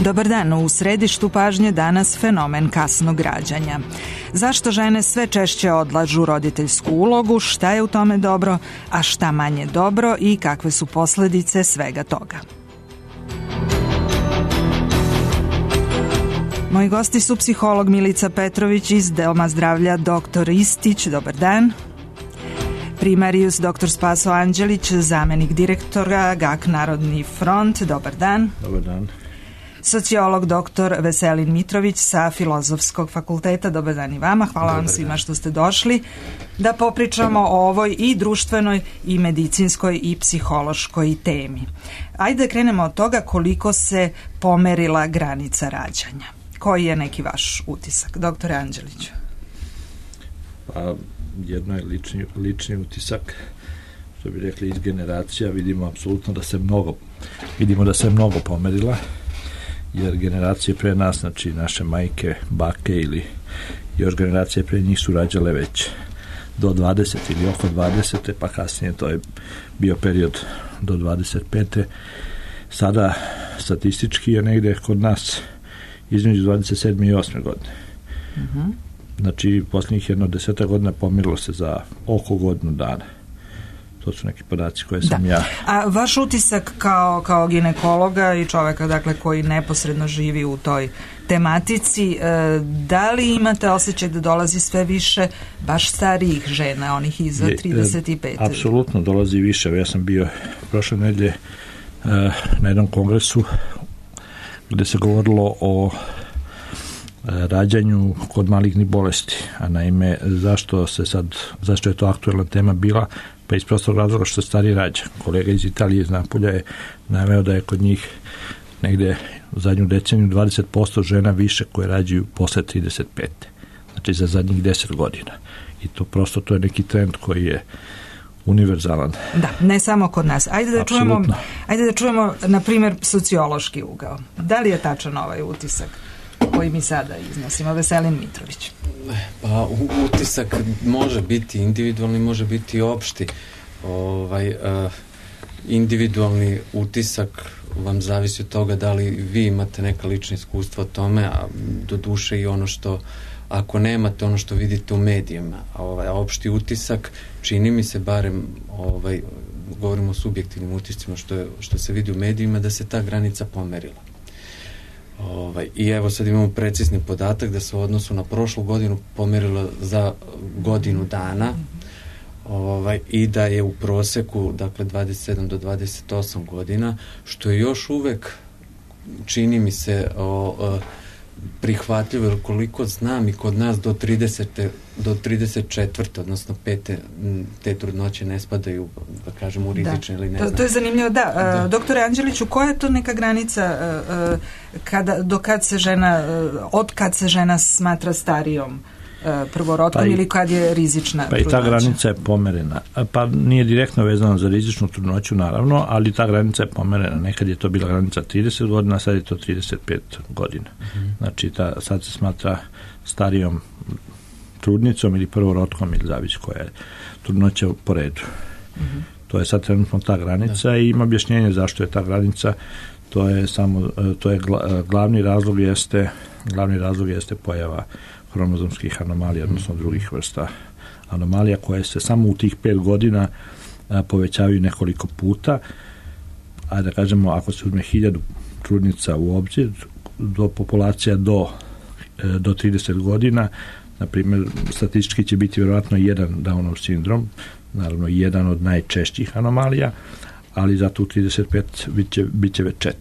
Dobar dan, u središtu pažnje danas fenomen kasnog rađanja. Zašto žene sve češće odlažu roditeljsku ulogu, šta je u tome dobro, a šta manje dobro i kakve su posljedice svega toga? Moji gosti su psiholog Milica Petrović iz Doma zdravlja Dr. Istić, dobar dan. Primarius dr. Spaso Anđelić, zamenik direktora GAK Narodni front, dobar dan. Dobar dan. Sociolog dr. Veselin Mitrović sa Filozofskog fakulteta, dobar dan i vama. Hvala dobar vam svima dan što ste došli da popričamo o ovoj i društvenoj i medicinskoj i psihološkoj temi. Ajde da krenemo od toga koliko se pomerila granica rađanja. Koji je neki vaš utisak, doktore Anđeliću? Pa, jedno je lični utisak, što bi rekli iz generacija, vidimo apsolutno da se mnogo pomerila, jer generacije pre nas, znači naše majke, bake ili još generacije pre njih su rađale već do 20 ili oko 20, pa kasnije to je bio period do 25. Sada statistički je negde kod nas između 27. i 8. godine. Znači, posljednjih 10 godina pomirilo se za oko godinu dana. To su neki podaci koje sam ja... A vaš utisak kao ginekologa i čoveka, dakle, koji neposredno živi u toj tematici, da li imate osjećaj da dolazi sve više baš starijih žena, onih iza 35? Apsolutno dolazi više. Ja sam bio prošle nedelje na jednom kongresu gde se govorilo o rađanju kod malignih bolesti, a naime zašto je to aktuelna tema bila, pa iz prostog razloga što se stari rađa. Kolega iz Italije iz Napulja je naveo da je kod njih negde u zadnju deceniju 20% žena više koje rađaju posle 35. Znači za zadnjih 10 godina. I to je neki trend koji je univerzalan. Da, ne samo kod nas. Ajde da čujemo na primjer sociološki ugao. Da li je tačan ovaj utisak koji mi sada iznosimo? Veselin Mitrović. Pa utisak može biti individualni, može biti opšti. Individualni utisak vam zavisi od toga da li vi imate neka lična iskustva o tome, a do duše i ono što, ako nemate ono što vidite u medijima, a opšti utisak, čini mi se barem, govorimo o subjektivnim utiscima što se vidi u medijima, da se ta granica pomerila. I evo sad imamo precizni podatak da se u odnosu na prošlu godinu pomerilo za godinu dana, i da je u proseku, dakle, 27 do 28 godina, što je još uvek, čini mi se, prihvatljivo, jer koliko znam i kod nas do 34. odnosno 5. te trudnoće ne spadaju, da kažem, u rizične ili ne znam. To je zanimljivo, da. Doktore Anđeliću, koja je to neka granica od kad se žena smatra starijom prvorodkom ili kad je rizična trudnoća? Pa i ta granica je pomerena. Pa nije direktno vezana za rizičnu trudnoću, naravno, ali ta granica je pomerena. Nekad je to bila granica 30 godina, sad je to 35 godina. Znači, sad se smatra starijom trudnicom ili prvorodkom, ili zavisi koja je trudnoća po redu. To je sad trenutno ta granica i ima objašnjenje zašto je ta granica. Glavni razlog jeste pojava hromozomskih anomalija, odnosno drugih vrsta anomalija koje se samo u tih 5 godina povećavaju nekoliko puta, a da kažemo, ako se uzme 1000 trudnica u obzir, do populacija do 30 godina, na primjer, statistički će biti vjerojatno jedan Downov sindrom, naravno jedan od najčešćih anomalija, ali zato u 35 bit će već 4.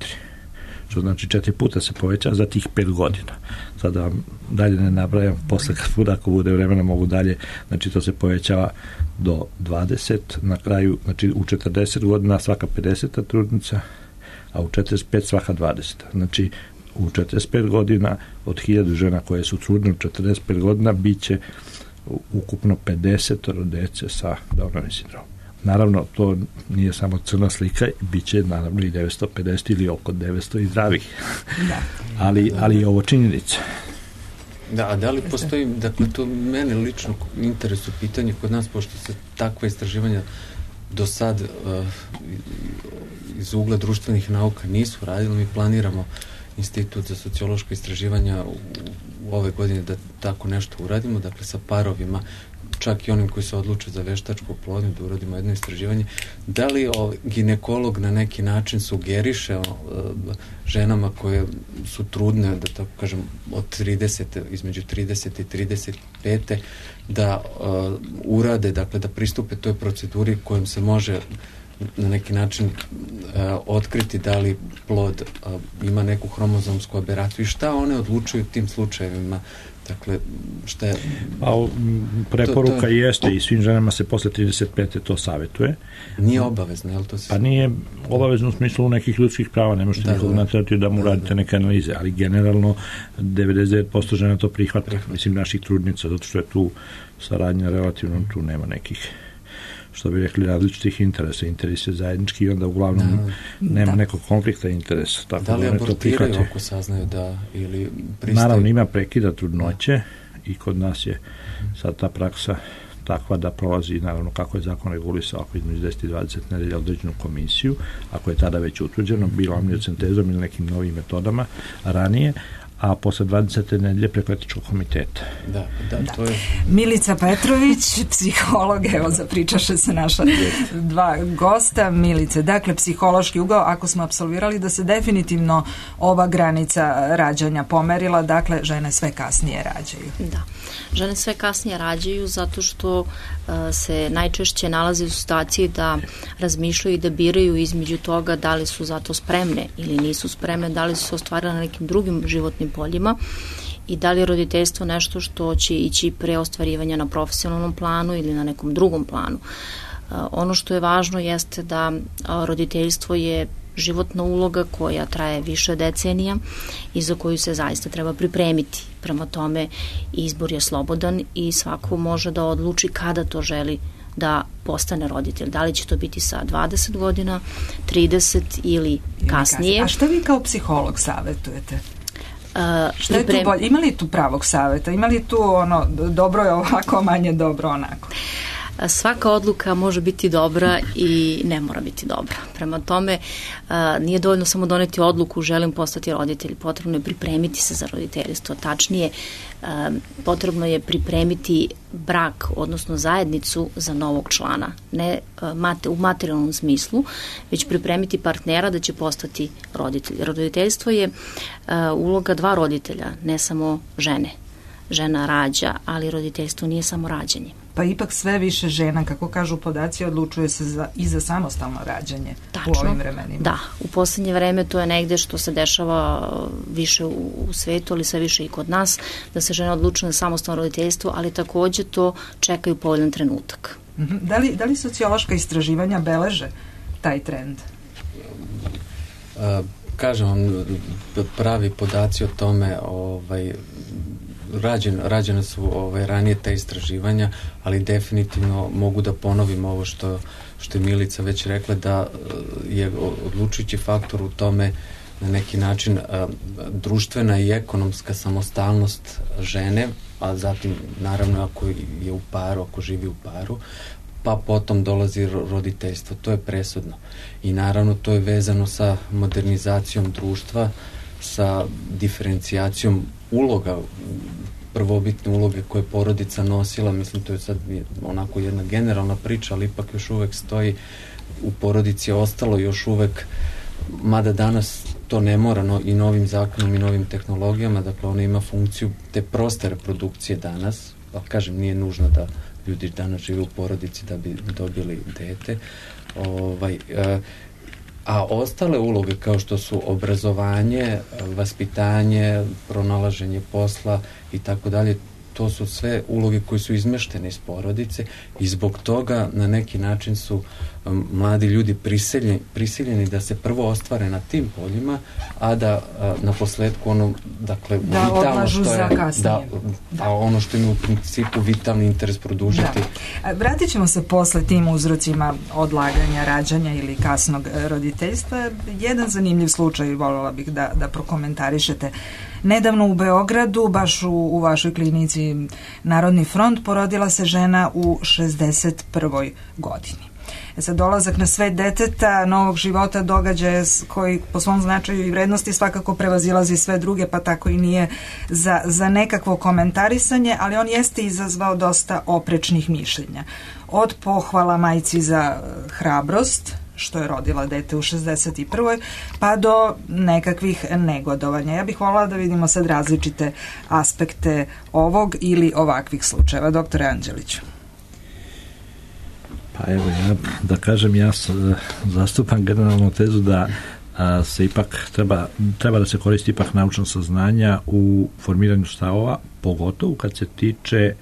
Što znači 4 puta se poveća za tih 5 godina. Sada vam dalje ne nabrajam, posle ako bude vremena mogu dalje, znači to se povećava do 20, na kraju, znači u 40 godina svaka 50. trudnica, a u 45 svaka 20. Znači u 45 godina od 1000 žena koje su trudne u 45 godina bit će ukupno 50 dece sa Downovim sindromom. Naravno, to nije samo crna slika, bit će naravno i 950 ili oko 900 i zdravih. Ali je ovo činjenica. Da, a da li postoji, dakle, to mene lično interesu pitanje kod nas, pošto se takva istraživanja do sad iz ugla društvenih nauka nisu radili, mi planiramo Institut za sociološko istraživanja u ove godine da tako nešto uradimo, dakle sa parovima, čak i onim koji se odluče za veštačku oplodnju, da uradimo jedno istraživanje. Da li ginekolog na neki način sugeriše ženama koje su trudne, da tako kažem, od 30, između 30 i 35, da urade, dakle da pristupe toj proceduri kojom se može na neki način otkriti da li plod ima neku hromozomsku aberaciju i šta one odlučuju u tim slučajevima. Dakle, šta je... Preporuka jeste i svim ženama se posle 35. to savjetuje. Nije obavezno, je li to se... Pa nije obavezno u smislu nekih ljudskih prava, ne možete nikog naterati da mu radite neke analize, ali generalno 99% žena to prihvata, mislim naših trudnica, zato što je tu saradnja relativno, tu nema nekih, što bi rekli, različitih interesa. Interes je zajednički i onda uglavnom nema nekog konflikta interesa. Tako da li abortiraju ako saznaju da ili pristaju? Naravno, ima prekida trudnoće i kod nas je sad ta praksa takva da prolazi, naravno kako je zakon regulisao, ako između 10 i 20 nedelja određenu komisiju, ako je tada već utvrđeno, bilo amniocentezom ili nekim novim metodama ranije, a posle 20. nedelje preko etičkog komiteta. Da, to je... Milica Petrović, psiholog, evo zapričaše se naša dva gosta. Milice, dakle, psihološki ugao, ako smo apsolvirali da se definitivno ova granica rađanja pomerila, dakle, žene sve kasnije rađaju. Da, žene sve kasnije rađaju zato što se najčešće nalaze u situaciji da razmišljaju i da biraju između toga da li su zato spremne ili nisu spremne, da li su se ostvarile na nekim drugim životnim poljima i da li je roditeljstvo nešto što će ići pre ostvarivanja na profesionalnom planu ili na nekom drugom planu. Ono što je važno jeste da roditeljstvo je životna uloga koja traje više decenija i za koju se zaista treba pripremiti. Prema tome, izbor je slobodan i svako može da odluči kada to želi da postane roditelj. Da li će to biti sa 20 godina, 30 ili kasnije. A što vi kao psiholog savjetujete? Što je tu bolje? Ima li tu pravog savjeta? Ima li tu ono, dobro je ovako, manje dobro onako? Svaka odluka može biti dobra i ne mora biti dobra. Prema tome, nije dovoljno samo doneti odluku želim postati roditelj, potrebno je pripremiti se za roditeljstvo. Tačnije, potrebno je pripremiti brak, odnosno zajednicu za novog člana. Ne u materijalnom smislu, već pripremiti partnera da će postati roditelj. Roditeljstvo je uloga dva roditelja, ne samo žene. Žena rađa, ali roditeljstvo nije samo rađanje. Pa ipak sve više žena, kako kažu podaci, odlučuje se i za samostalno rađanje. Tačno, u ovim vremenima. Da, u poslednje vreme to je negde što se dešava više u svetu, ali sve više i kod nas, da se žene odlučuju na samostalno roditeljstvo, ali takođe to čekaju povoljan trenutak. Da li sociološka istraživanja beleže taj trend? Kažem vam, pravi podaci o tome, rađene su ranije te istraživanja, ali definitivno mogu da ponovim ovo što je Milica već rekla, da je odlučujući faktor u tome na neki način društvena i ekonomska samostalnost žene, a zatim naravno ako je u paru, ako živi u paru, pa potom dolazi roditeljstvo. To je presudno. I naravno to je vezano sa modernizacijom društva, sa diferencijacijom uloga, prvobitne uloge koje je porodica nosila. Mislim, to je sad onako jedna generalna priča, ali ipak još uvek stoji, u porodici je ostalo još uvek, mada danas to ne mora i novim zakonom i novim tehnologijama, dakle ona ima funkciju te proste reprodukcije danas, pa kažem, nije nužno da ljudi danas žive u porodici da bi dobili dete. A ostale uloge kao što su obrazovanje, vaspitanje, pronalaženje posla i tako dalje, to su sve uloge koje su izmeštene iz porodice i zbog toga na neki način su mladi ljudi prisiljeni da se prvo ostvare na tim poljima, a da na posledku ono, dakle, da odlažu za kasnije. Da, ono što im u principu vitalni interes produžiti. Vratit ćemo se posle tim uzrocima odlaganja, rađanja ili kasnog roditeljstva. Jedan zanimljiv slučaj, voljela bih da prokomentarišete. Nedavno u Beogradu, baš u vašoj klinici Narodni front, porodila se žena u 61. godini. Sad dolazak na svet deteta, novog života, događaja koji po svom značaju i vrednosti svakako prevazilazi sve druge, pa tako i nije za nekakvo komentarisanje, ali on jeste izazvao dosta oprečnih mišljenja. Od pohvala majci za hrabrost, što je rodila dete u 61. pa do nekakvih negodovanja. Ja bih voljela da vidimo sad različite aspekte ovog ili ovakvih slučajeva. Doktore Anđeliću. Pa evo, da kažem, ja zastupam generalnu tezu da se ipak treba da se koristi ipak naučna saznanja u formiranju stavova, pogotovo kad se tiče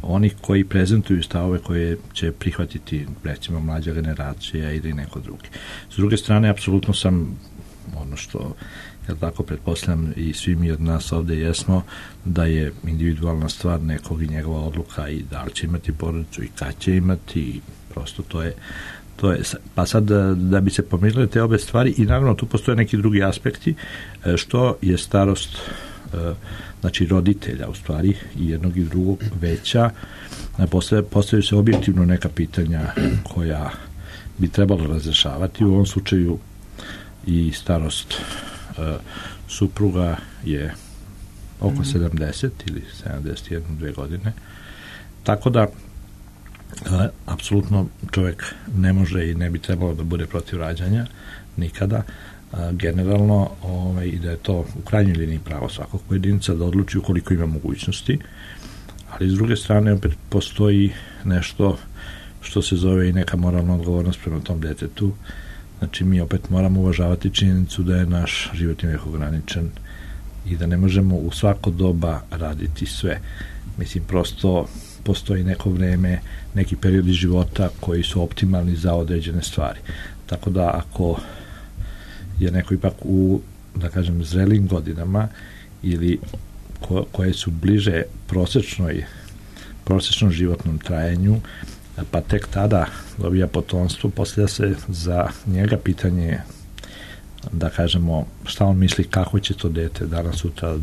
onih koji prezentuju stavove koje će prihvatiti recimo mlađa generacija ili neko drugi. S druge strane, apsolutno sam ono što ja tako pretpostavljam i svi mi od nas ovde jesmo, da je individualna stvar nekog i njegova odluka i da li će imati porodicu i kad će imati i prosto to je pa sad da bi se pomirile te obe stvari i naravno tu postoje neki drugi aspekti što je starost znači roditelja u stvari i jednog i drugog veća, postavljaju se objektivno neka pitanja koja bi trebalo razrešavati. U ovom slučaju i starost supruga je oko 70 ili 71-2 godine, tako da apsolutno čovjek ne može i ne bi trebalo da bude protiv rađanja nikada, generalno i da je to u krajnjoj liniji pravo svakog pojedinca da odluči ukoliko ima mogućnosti, ali s druge strane opet postoji nešto što se zove i neka moralna odgovornost prema tom detetu. Znači mi opet moramo uvažavati činjenicu da je naš životni vek ograničen i da ne možemo u svako doba raditi sve. Mislim, prosto postoji neko vreme, neki periodi života koji su optimalni za određene stvari. Tako da ako je neko ipak u, da kažem, zrelim godinama ili koje su bliže prosječnom životnom trajanju, pa tek tada dobija potomstvo, postavlja se za njega pitanje, da kažemo, šta on misli kako će to dete danas sutra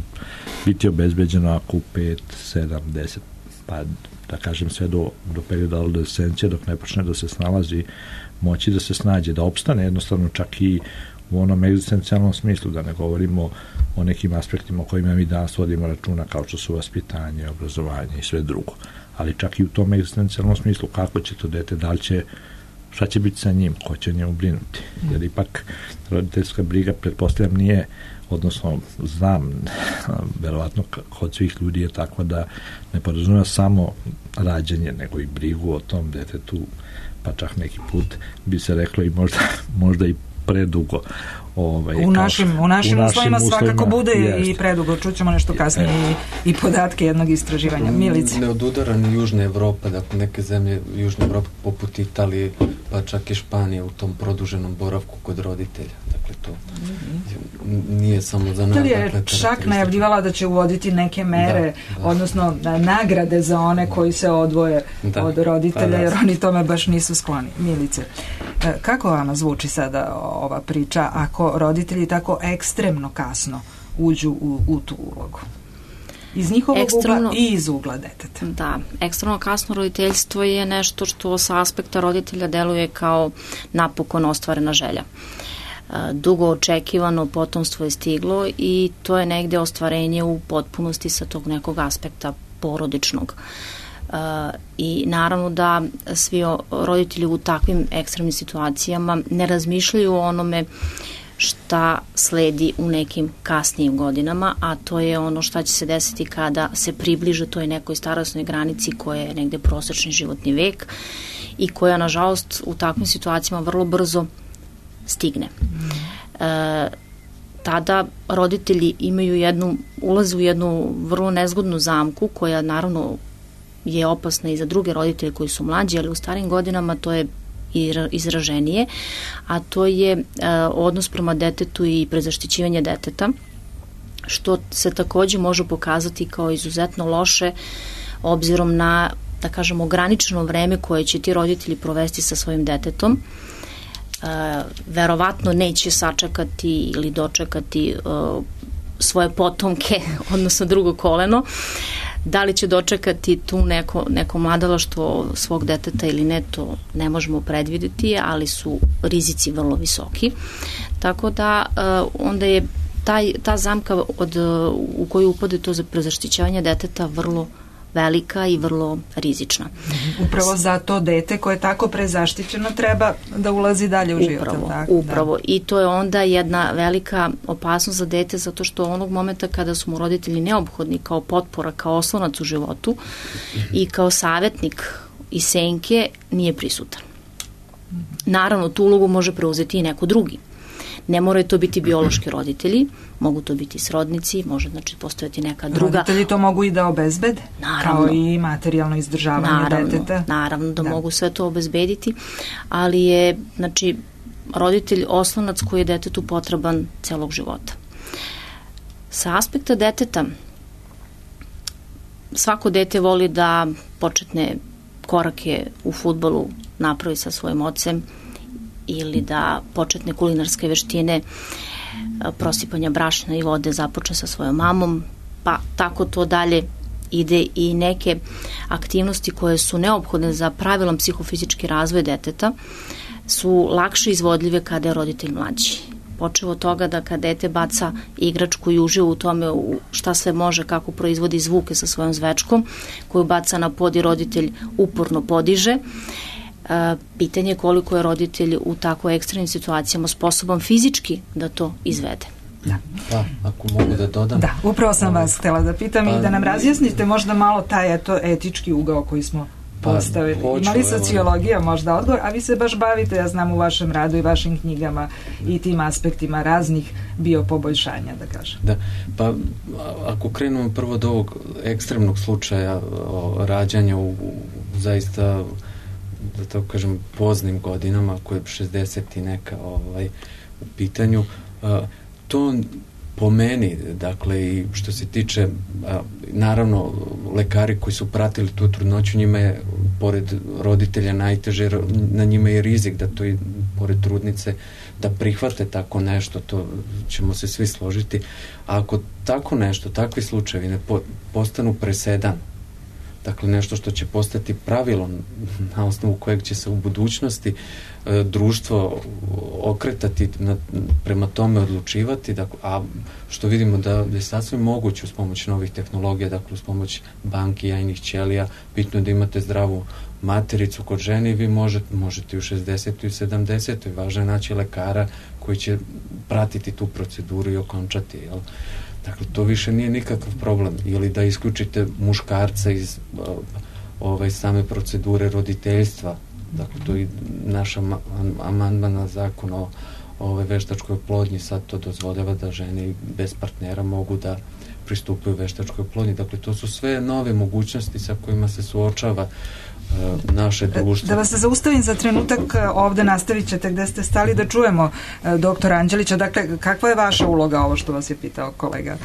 biti obezbeđeno ako u 5, 7, 10, pa da kažem sve do perioda adolescencije dok ne počne da se snalazi, moći da se snađe, da opstane jednostavno čak i u onom egzistencijalnom smislu, da ne govorimo o nekim aspektima o kojima mi danas vodimo računa kao što su vaspitanje, obrazovanje i sve drugo. Ali čak i u tom egzistencijalnom smislu kako će to dete, da li će, šta će biti sa njim, ko će njemu brinuti. Jer ipak roditeljska briga, pretpostavljam, nije, odnosno znam, verovatno kod svih ljudi je takva da ne podrazumeva samo rađanje, nego i brigu o tom detetu, pa čak neki put bi se reklo i možda i predugo. U našim uslovima svakako bude i predugo. Čućemo nešto kasnije i podatke jednog istraživanja. Milice. Ne odudara ni Južna Evropa, dakle neke zemlje Južne Evrope poput Italije, pa čak i Španija u tom produženom boravku kod roditelja. Dakle, to nije samo za nas. Italija je čak najavljivala da će uvoditi neke mere, odnosno nagrade za one koji se odvoje od roditelja, jer oni tome baš nisu skloni. Milice, kako vama zvuči sada ova priča ako roditelji tako ekstremno kasno uđu u tu ulogu? Iz njihovog ugla i iz ugla deteta. Da, ekstremno kasno roditeljstvo je nešto što sa aspekta roditelja deluje kao napokon ostvarena želja. Dugo očekivano potomstvo je stiglo i to je negde ostvarenje u potpunosti sa tog nekog aspekta porodičnog. I naravno da svi roditelji u takvim ekstremnim situacijama ne razmišljaju o onome šta sledi u nekim kasnijim godinama, a to je ono šta će se desiti kada se približe toj nekoj starosnoj granici koja je negde prosečni životni vek i koja nažalost u takvim situacijama vrlo brzo stigne. Tada roditelji ulaze u jednu vrlo nezgodnu zamku koja naravno je opasna i za druge roditelje koji su mlađi, ali u starim godinama to je izraženije, a to je odnos prema detetu i prezaštićivanje deteta, što se takođe može pokazati kao izuzetno loše obzirom na, da kažemo, ograničeno vreme koje će ti roditelji provesti sa svojim detetom. Verovatno neće sačekati ili dočekati svoje potomke, odnosno drugo koleno. Da li će dočekati tu neko mladalaštvo svog deteta ili ne, to ne možemo predvideti, ali su rizici vrlo visoki. Tako da onda je ta zamka u koju upade to za prezaštićavanje deteta vrlo velika i vrlo rizična. Upravo zato dete koje je tako prezaštićeno treba da ulazi dalje u život. Upravo. I to je onda jedna velika opasnost za dete, zato što onog momenta kada su mu roditelji neophodni kao potpora, kao oslonac u životu i kao savjetnik i senke, nije prisutan. Naravno, tu ulogu može preuzeti i neko drugi. Ne moraju to biti biološki roditelji, mogu to biti srodnici, može znači postojati neka druga. Roditelji to mogu i da obezbede, kao i materijalno izdržavanje deteta. Naravno da mogu sve to obezbediti, ali je znači roditelj oslonac koji je detetu potreban celog života. Sa aspekta deteta, svako dete voli da početne korake u fudbalu napravi sa svojim ocem ili da početne kulinarske veštine prosipanja brašna i vode započne sa svojom mamom, pa tako to dalje ide i neke aktivnosti koje su neophodne za pravilan psihofizički razvoj deteta su lakše izvodljive kada je roditelj mlađi. Počevo od toga da kad dete baca igračku i uživa u tome šta sve može, kako proizvodi zvuke sa svojom zvečkom, koju baca na pod i roditelj uporno podiže, pitanje je koliko je roditelj u tako ekstremnim situacijama sposoban fizički da to izvede. Da. Pa, ako mogu da dodam. Da, upravo sam vas htjela da pitam i da nam razjasnite možda malo taj etički ugao koji smo postavili. Imali sociologija možda odgovor, a vi se baš bavite, ja znam, u vašem radu i vašim knjigama i tim aspektima raznih biopoboljšanja, da kažem. Da, pa ako krenemo prvo od ovog ekstremnog slučaja rađanja u zaista, da tako kažem, poznim godinama, koje je 60 i neka u pitanju, to po meni, dakle, i što se tiče, naravno, lekari koji su pratili tu trudnoću, njima je, pored roditelja, najteže, na njima je rizik da to i pored trudnice, da prihvate tako nešto, to ćemo se svi složiti. A ako tako nešto, takvi slučajevi ne postanu presedan, dakle nešto što će postati pravilom na osnovu kojeg će se u budućnosti društvo okretati prema tome, odlučivati, dakle, a što vidimo da je sasvim moguće uz pomoć novih tehnologija, dakle uz pomoć banki, jajnih ćelija, bitno je da imate zdravu matericu kod žene i vi možete u 60. i 70. Važno je naći lekara koji će pratiti tu proceduru i okončati, jel? Dakle, to više nije nikakav problem. Ili da isključite muškarca iz same procedure roditeljstva. Dakle, to je naš amandman na zakon o veštačkoj oplodnji. Sad to dozvoljava da žene bez partnera mogu da pristupaju veštačkoj oplodnji. Dakle, to su sve nove mogućnosti sa kojima se suočava naše društvo. Da vas se zaustavim za trenutak, ovde nastavit ćete gde ste stali, da čujemo doktora Anđelića. Dakle, kakva je vaša uloga, ovo što vas je pitao kolega?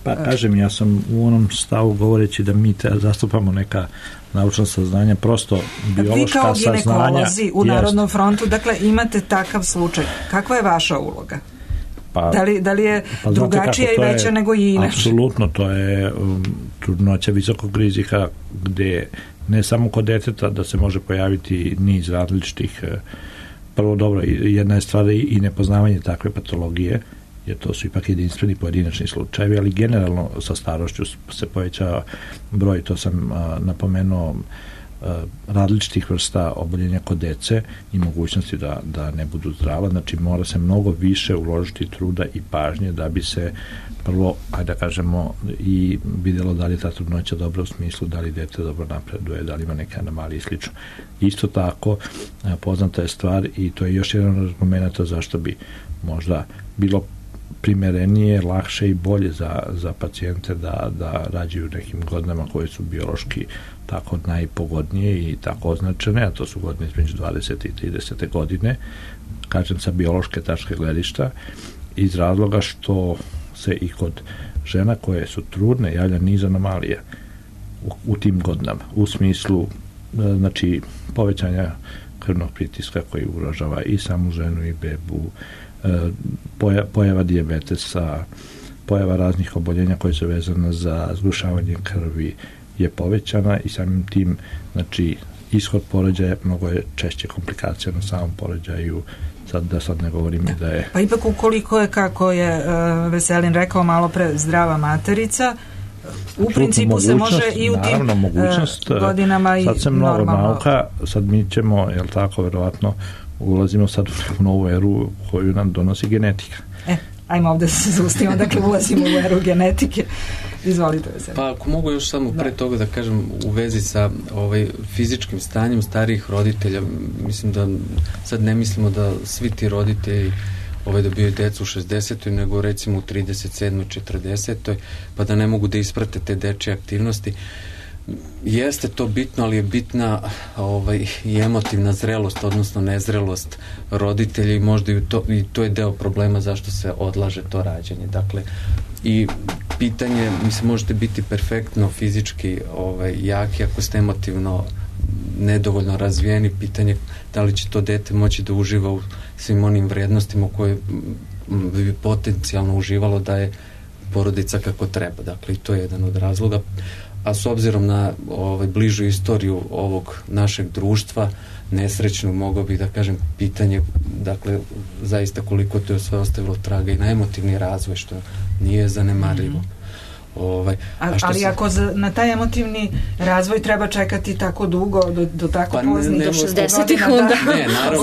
Pa kažem, ja sam u onom stavu govoreći da mi zastupamo neka naučna saznanja, prosto biološka saznanja. Vi kao ginekolozi u Narodnom frontu, dakle, imate takav slučaj. Kakva je vaša uloga? Pa, da li je drugačija i veća nego i inače? Apsolutno, to je trudnoća visokog rizika gde ne samo kod deteta da se može pojaviti niz različitih, prvo dobro, jedna je stvar i nepoznavanje takve patologije, jer to su ipak jedinstveni pojedinačni slučajevi, ali generalno sa starošću se povećava broj, to sam napomenuo, različitih vrsta oboljenja kod dece i mogućnosti da ne budu zdrava, znači mora se mnogo više uložiti truda i pažnje da bi se prvo, ajde da kažemo, i vidjelo da li je ta trudnoća dobra u smislu da li dete dobro napreduje, da li ima neke anomalije i slično. Isto tako, poznata je stvar i to je još jedan od argumenta zašto bi možda bilo primerenije, lakše i bolje za pacijente da rađaju nekim godinama koje su biološki tako najpogodnije i tako označene, a to su godine između 20. i 30. godine, kažem sa biološke tačke gledišta, iz razloga što se i kod žena koje su trudne javlja niz anomalija u tim godinama, u smislu znači povećanja krvnog pritiska koji ugrožava i samu ženu i bebu, pojava dijabetesa, pojava raznih oboljenja koje su vezane za zgrušavanje krvi, je povećana i samim tim, znači, ishod porođaja mnogo je češće komplikacija na samom porođaju, sad ne govorim da je... Pa ipak ukoliko je, kako je Veselin rekao malo pre, zdrava materica, u principu se može i u tim godinama i sad se mnogo nauka, sad mi ćemo, jel tako, verovatno ulazimo sad u novu eru koju nam donosi genetika. Ajmo ovde se zaustavimo, dakle ulazimo u eru genetike. Izvolite Veselin. Pa ako mogu još samo pre toga da kažem u vezi sa fizičkim stanjem starijih roditelja, mislim da sad ne mislimo da svi ti roditelji dobiju decu u 60. nego recimo u 37. 40. pa da ne mogu da isprate te dečje aktivnosti. Jeste to bitno, ali je bitna i emotivna zrelost, odnosno nezrelost roditelja i možda i to je deo problema zašto se odlaže to rađanje. Dakle, i pitanje, mislim, možete biti perfektno fizički jaki ako ste emotivno nedovoljno razvijeni, pitanje da li će to dete moći da uživa u svim onim vrednostima koje bi potencijalno uživalo da je porodica kako treba. Dakle, i to je jedan od razloga. A s obzirom na bližu istoriju ovog našeg društva, nesrećnu, mogao bih da kažem pitanje, dakle, zaista koliko to je sve ostavilo traga i na emotivni razvoj, što nije zanemarljivo. Ali ako na taj emotivni razvoj treba čekati tako dugo, do tako poznih, do 60-ih,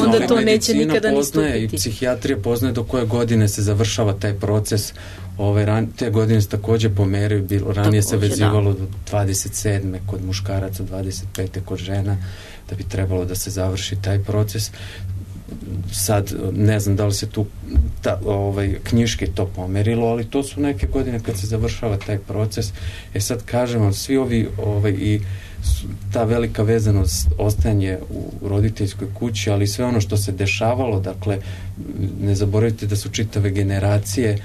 onda to neće nikada ni stupiti. I psihijatrija poznaje do koje godine se završava taj proces. Te godine se takođe pomeraju, ranije se vezivalo do 27. kod muškaraca, 25. kod žena, da bi trebalo da se završi taj proces. Sad, ne znam da li se tu knjiški to pomerilo, ali to su neke godine kad se završava taj proces. Sad kažem vam, svi ovi i ta velika vezanost, ostajanje u roditeljskoj kući, ali sve ono što se dešavalo, dakle, ne zaboravite da su čitave generacije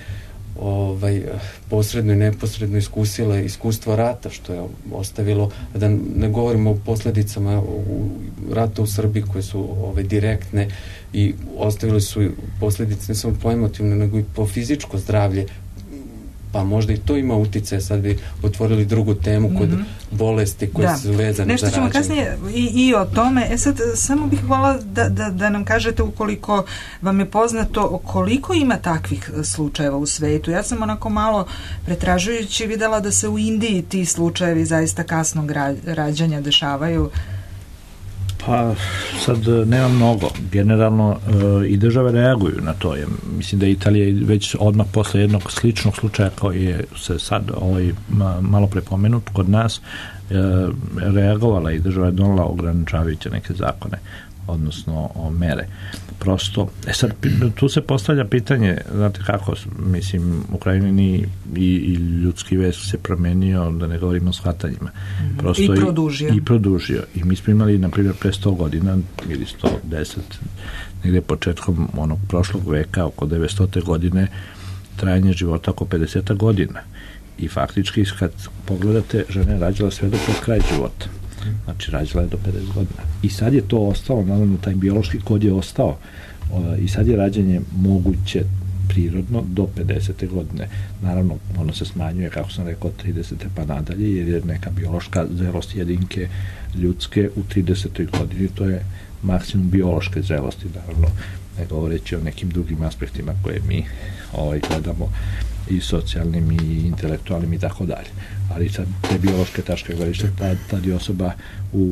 posredno i neposredno iskusile iskustvo rata, što je ostavilo, da ne govorimo o posledicama rata u Srbiji koje su direktne i ostavili su posledice ne samo po emotivno, nego i po fizičko zdravlje, pa možda i to ima uticaje. Sad bi otvorili drugu temu kod bolesti koje su vezane za rađanje. Nešto ćemo kasnije i o tome. Sad samo bih volila da nam kažete, ukoliko vam je poznato, koliko ima takvih slučajeva u svetu. Ja sam onako malo pretražujući videla da se u Indiji ti slučajevi zaista kasnog rađanja dešavaju. Pa sad nema mnogo. Generalno i države reaguju na to. Mislim da je Italija već odmah posle jednog sličnog slučaja koji je se sad malo prepomenut kod nas reagovala i država je donela ograničavajuće neke zakone, odnosno mere. Prosto, sad tu se postavlja pitanje, znate kako, mislim, u krajini i ljudski vez se promenio, da ne govorimo o shvatanjima. Prosto I produžio. I mi smo imali, na primjer, pre 100 godina ili 110, negde početkom onog prošlog veka, oko 900. godine, trajanje života oko 50 godina. I faktički, kad pogledate, žena je rađala sve do pred kraj života. Znači, rađala je do 50 godina. I sad je to ostalo, naravno, taj biološki kod je ostao i sad je rađanje moguće prirodno do 50. godine. Naravno, ono se smanjuje, kako sam rekao, 30. pa nadalje, jer je neka biološka zrelost jedinke ljudske u 30. godini, to je maksimum biološke zrelosti, naravno, ne govoreći o nekim drugim aspektima koje mi gledamo, i socijalnim i intelektualnim i tako dalje. Ali sad te biološke tačke gledišta, tad je osoba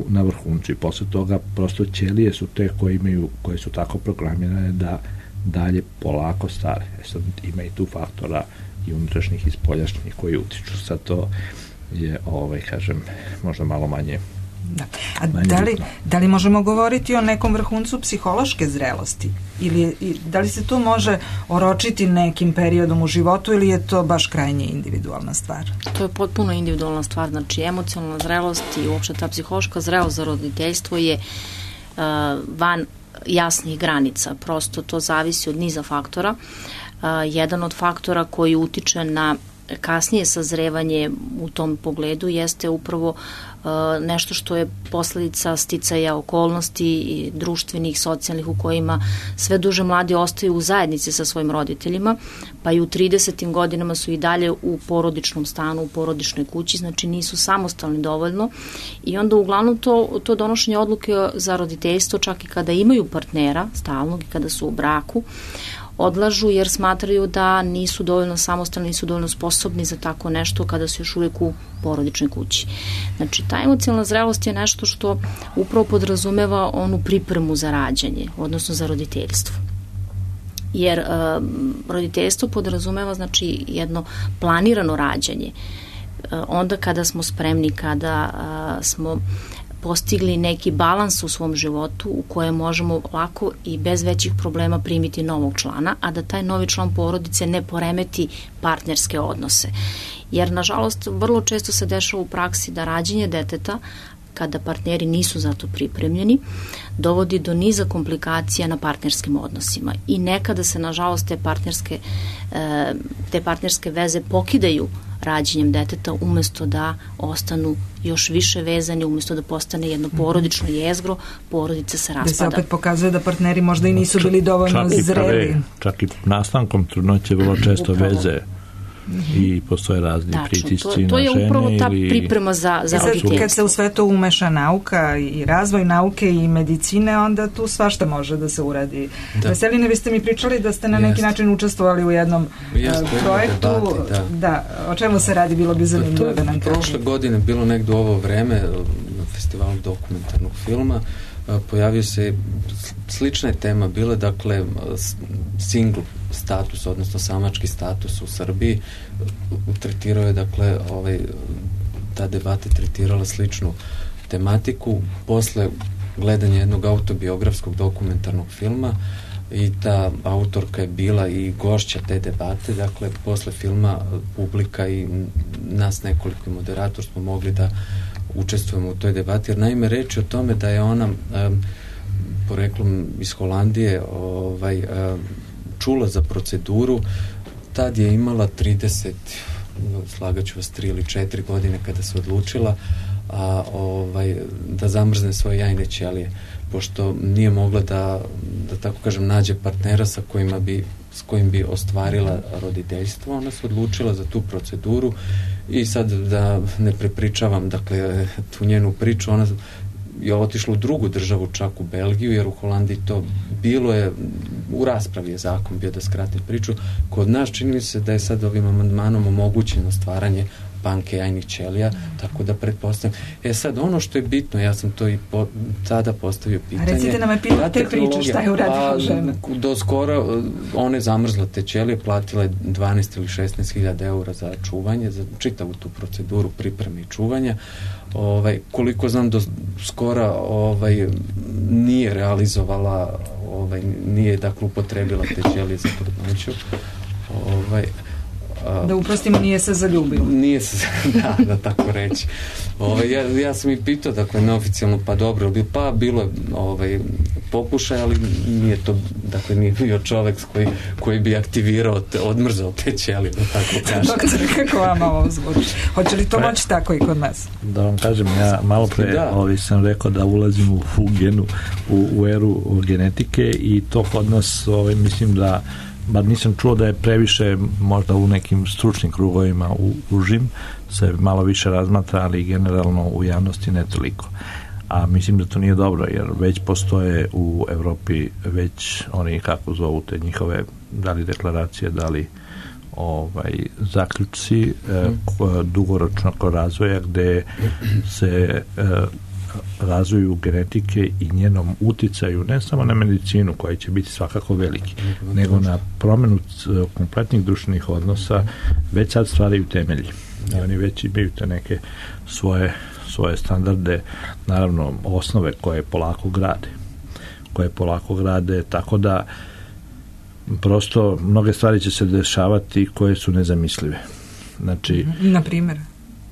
na vrhuncu i posle toga prosto ćelije su te koje su tako programirane da dalje polako stare. Sad ima i tu faktora i unutrašnjih i spoljašnjih koji utiču. Sad to je, kažem, možda malo manje. Da. A da li možemo govoriti o nekom vrhuncu psihološke zrelosti? Da li se to može oročiti nekim periodom u životu ili je to baš krajnje individualna stvar? To je potpuno individualna stvar. Znači, emocionalna zrelost i uopšte ta psihološka zrelost za roditeljstvo je van jasnih granica. Prosto to zavisi od niza faktora. Jedan od faktora koji utiče na kasnije sazrevanje u tom pogledu jeste upravo nešto što je posledica sticaja okolnosti i društvenih, socijalnih, u kojima sve duže mladi ostaju u zajednici sa svojim roditeljima, pa i u 30. godinama su i dalje u porodičnom stanu, u porodičnoj kući, znači nisu samostalni dovoljno i onda uglavnom to donošenje odluke za roditeljstvo, čak i kada imaju partnera stalnog i kada su u braku, odlažu jer smatraju da nisu dovoljno samostalni, nisu dovoljno sposobni za tako nešto kada su još uvijek u porodičnoj kući. Znači, ta emocionalna zrelost je nešto što upravo podrazumeva onu pripremu za rađanje, odnosno za roditeljstvo. Jer roditeljstvo podrazumeva, znači, jedno planirano rađanje. Onda kada smo spremni, kada smo postigli neki balans u svom životu u kojem možemo lako i bez većih problema primiti novog člana, a da taj novi član porodice ne poremeti partnerske odnose. Jer, nažalost, vrlo često se dešava u praksi da rađenje deteta, kada partneri nisu za to pripremljeni, dovodi do niza komplikacija na partnerskim odnosima. I nekada se, nažalost, te partnerske veze pokidaju rađenjem deteta umesto da ostanu još više vezani, umesto da postane jedno porodično jezgro, porodica se raspada. Da se opet pokazuje da partneri možda i nisu bili dovoljno zreli. Čak i nastankom trudnoće vrlo često veze i postoje razni pritisci na žene. To je upravo ta priprema za roditeljstvo. Kad se u sve to umeša nauka i razvoj nauke i medicine, onda tu svašta može da se uradi. Veselina, vi ste mi pričali da ste na neki način učestvovali u jednom projektu. O čemu se radi, bilo bi zanimljivo da nam kažete. Prošle godine bilo negdje u ovo vreme na festivalu dokumentarnog filma, pojavio se slična tema, bila dakle single status, odnosno samački status u Srbiji. Tretirao je, dakle, ta debata tretirala sličnu tematiku. Posle gledanja jednog autobiografskog dokumentarnog filma i ta autorka je bila i gošća te debate, dakle, posle filma publika i nas nekoliko moderator smo mogli da učestvujemo u toj debati, jer naime reč je o tome da je ona poreklom iz Holandije čula za proceduru, tad je imala 30, slagaću vas 3 ili 4 godine kada se odlučila da zamrzne svoje jajne ćelije, pošto nije mogla da tako kažem nađe partnera s kojim bi ostvarila roditeljstvo. Ona se odlučila za tu proceduru i sad da ne prepričavam, dakle, tu njenu priču, ona je otišla u drugu državu, čak u Belgiju, jer u Holandiji to bilo je, u raspravi je zakon bio, da skratim priču. Kod nas čini mi se da je sad ovim amandmanom omogućeno stvaranje banke jajnih ćelija, tako da pretpostavljam. Sad, ono što je bitno, ja sam to i tada postavio pitanje. A recite nam te priče, šta je uradila žena? Do skoro, ona je zamrzla te ćelije, platila je 12 ili 16.000 eura za čuvanje, za čitavu tu proceduru pripreme i čuvanja. Koliko znam, do skora nije realizovala, nije, dakle, upotrebila te ćelije za trudnoću. Da uprostimo, nije se zaljubila. Nije se, da tako reći. Ja sam i pitao, dakle, neoficijalno, pa dobro, bilo je pokušaj, ali nije to, dakle, nije bio čovek koji bi aktivirao, odmrzao te ćelije, da tako kažem. Doktor, kako vama ovo zvuči? Hoće li to moći tako i kod nas? Da vam kažem, ja malo pre sam rekao da ulazim u eru genetike i to kod nas, mislim da bar nisam čuo da je previše, možda u nekim stručnim krugovima užim se malo više razmatra, ali generalno u javnosti ne toliko. A mislim da to nije dobro, jer već postoje u Evropi već oni, kako zovu te njihove, da li deklaracije, da li zaključci dugoročnog razvoja, gde se razvoju genetike i njenom uticaju ne samo na medicinu, koja će biti svakako veliki, nego na promenu kompletnih društvenih odnosa, već sad stvaraju temelji. I oni već imaju te neke svoje standarde, naravno osnove koje polako grade, tako da prosto mnoge stvari će se dešavati koje su nezamislive. Znači, na primjer?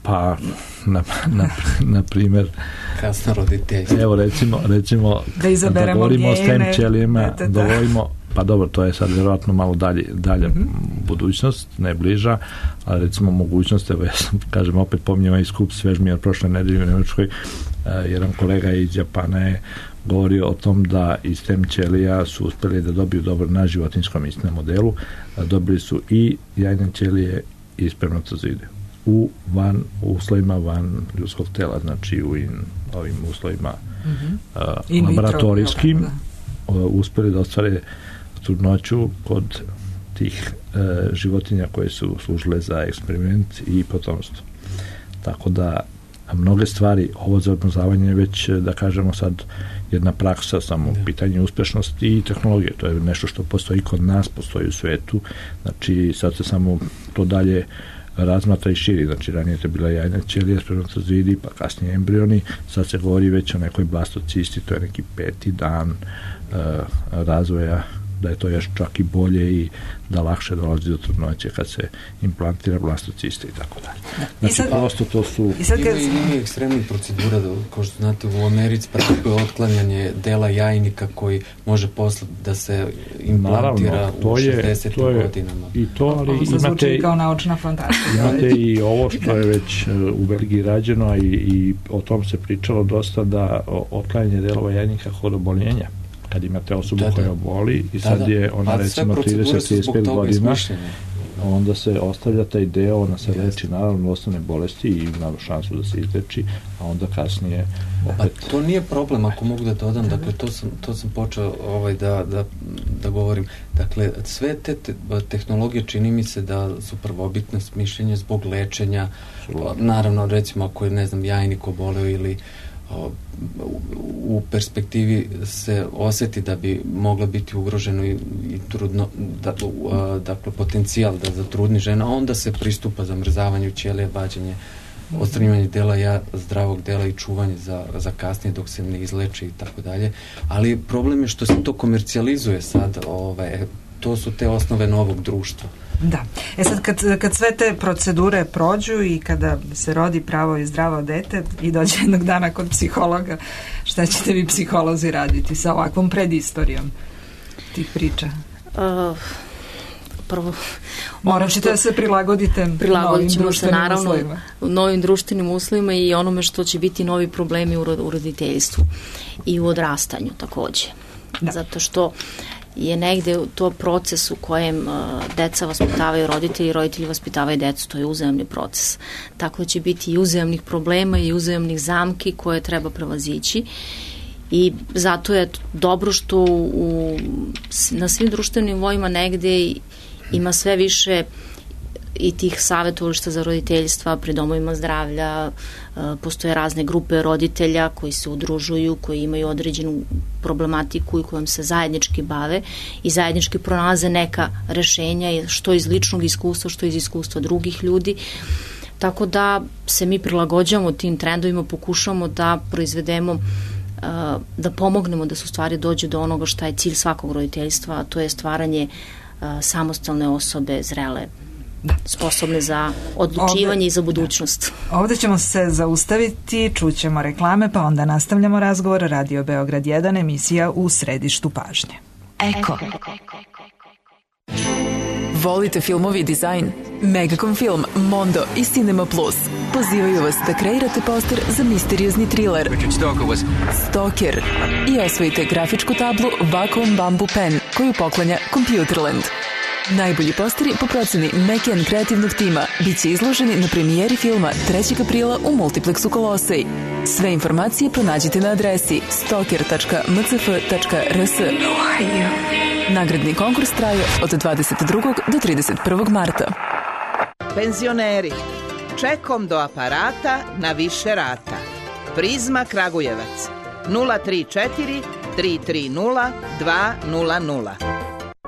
Pa, na primjer, kasno roditeljstvo. Evo recimo da izaberemo govorimo o STEM ćelijama, dovoljimo, pa dobro, to je sad vjerojatno malo dalje budućnost, ne bliža, ali recimo mogućnost, evo ja sam, kažem, opet pominjem i skup Svežmir prošle nedelje u Nemačkoj, jedan kolega iz Japana je govorio o tom da iz STEM ćelija su uspjeli da dobiju dobro na životinjskom istom modelu, dobili su i jajne ćelije i spermatozoide u uslovima van ljudskog tela, znači u ovim uslovima laboratorijskim, uspjeli da ostvare trudnoću kod tih životinja koje su služile za eksperiment i potomstvo. Tako da mnoge stvari, ovo za odmrzavanje je već, da kažemo sad, jedna praksa samo u pitanju uspešnosti i tehnologije. To je nešto što postoji kod nas, postoji u svetu. Znači, sad se samo to dalje razmatra i širi. Znači, ranije je bila jajna ćelija, spermatozoidi, pa kasnije embrioni. Sad se govori već o nekoj blastocisti, to je neki 5. dan razvoja, da je to još čak i bolje i da lakše dolazi do trudnoće kad se implantira blastocista i tako dalje. Znači, prosto to su... Ima ekstremnih procedura, kao što znate, u Americi praktikuje otklanjanje dela jajnika koji može posle da se implantira u 60. godinama. I to, ali imate... Zvuči kao naučna fantazija. Imate i ovo što je već u Belgiji rađeno i o tom se pričalo dosta, da otklanjanje delova jajnika kod oboljenja. Kad imate osobu koja oboli i sad je ona recimo 30-35 godina, onda se ostavlja taj deo, ona se leči naravno osnovne bolesti i ima šansu da se izleči, a onda kasnije opet... Pa to nije problem, ako mogu da dodam, dakle to sam počeo da govorim. Dakle, sve te tehnologije čini mi se da su prvobitno mišljenje zbog lečenja, naravno recimo ako je, ne znam, jajnik oboleo ili u perspektivi se osjeti da bi mogla biti ugroženo i trudno, dakle potencijal da zatrudni žena, onda se pristupa zamrzavanju ćelija, vađenje, odstranjivanje dela zdravog dela i čuvanje za kasnije dok se ne izleči i tako dalje. Ali problem je što se to komercijalizuje sad, to su te osnove novog društva. Da. Sad kad sve te procedure prođu i kada se rodi pravo i zdravo dete i dođe jednog dana kod psihologa, šta ćete vi psiholozi raditi sa ovakvom predistorijom tih priča? Prvo, morat ćete da se prilagodite novim društvenim uslovima. Novim društvenim uslovima i onome što će biti novi problemi u roditeljstvu i u odrastanju takođe. Da. Zato što je negde to proces u kojem deca vaspitavaju roditelji i roditelji vaspitavaju decu, to je uzajamni proces. Tako da će biti i uzajamnih problema i uzajamnih zamki koje treba prevazići i zato je dobro što na svim društvenim nivoima negde ima sve više i tih savjetovališta za roditeljstva pri domovima zdravlja, postoje razne grupe roditelja koji se udružuju, koji imaju određenu problematiku i kojom se zajednički bave i zajednički pronalaze neka rešenja, što iz ličnog iskustva, što iz iskustva drugih ljudi. Tako da se mi prilagođavamo tim trendovima, pokušamo da proizvedemo, da pomognemo da se u stvari dođe do onoga šta je cilj svakog roditeljstva, a to je stvaranje samostalne osobe, zrele, sposobne za odlučivanje i za budućnost. Ovde ćemo se zaustaviti, čućemo reklame, pa onda nastavljamo razgovor. Radio Beograd 1, emisija U središtu pažnje. Eko. Volite filmovi i dizajn? Megacom Film, Mondo i Cinema Plus pozivaju vas da kreirate poster za misteriozni thriller Stalker i osvojite grafičku tablu Vacuum Bamboo Pen koju poklanja Computerland. Najbolji posteri po proceni Mekian kreativnog tima bit će izloženi na premijeri filma 3. aprila u Multiplexu Kolosej. Sve informacije pronađite na adresi stalker.mcf.rs. Nagradni konkurs traje od 22. do 31. marta. Penzioneri, čekom do aparata na više rata. Prizma Kragujevac 034 330 200.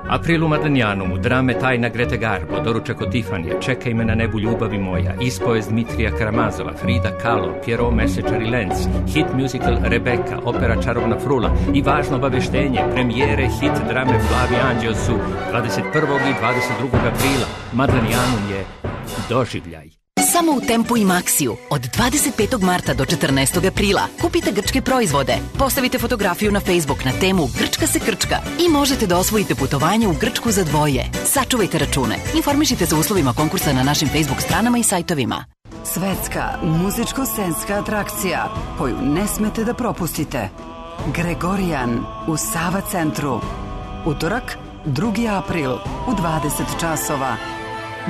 April u Madlenjanu, drame Tajna Grete Garbo, doručak od Tifanije, Čekaj me na nebu ljubavi moja, ispovest Dmitrija Karamazova, Frida Kahlo, Pierrot Mesečar i Lenz, hit musical Rebeka, opera Čarovna frula i važno obaveštenje, premijere hit drame Plavi anđeo su 21. i 22. aprila. Madlenjanum je doživljaj. Samo u Tempu i Maxiju od 25. marta do 14. aprila. Kupite grčke proizvode, postavite fotografiju na Facebook na temu Grčka se krčka i možete da osvojite putovanje u Grčku za dvoje. Sačuvajte račune. Informišite se o uslovima konkursa na našim Facebook stranama i sajtovima. Svetska muzičko-scenska atrakcija koju ne smete da propustite. Gregorijan u Sava centru. Utorak, 2. april u 20 časova.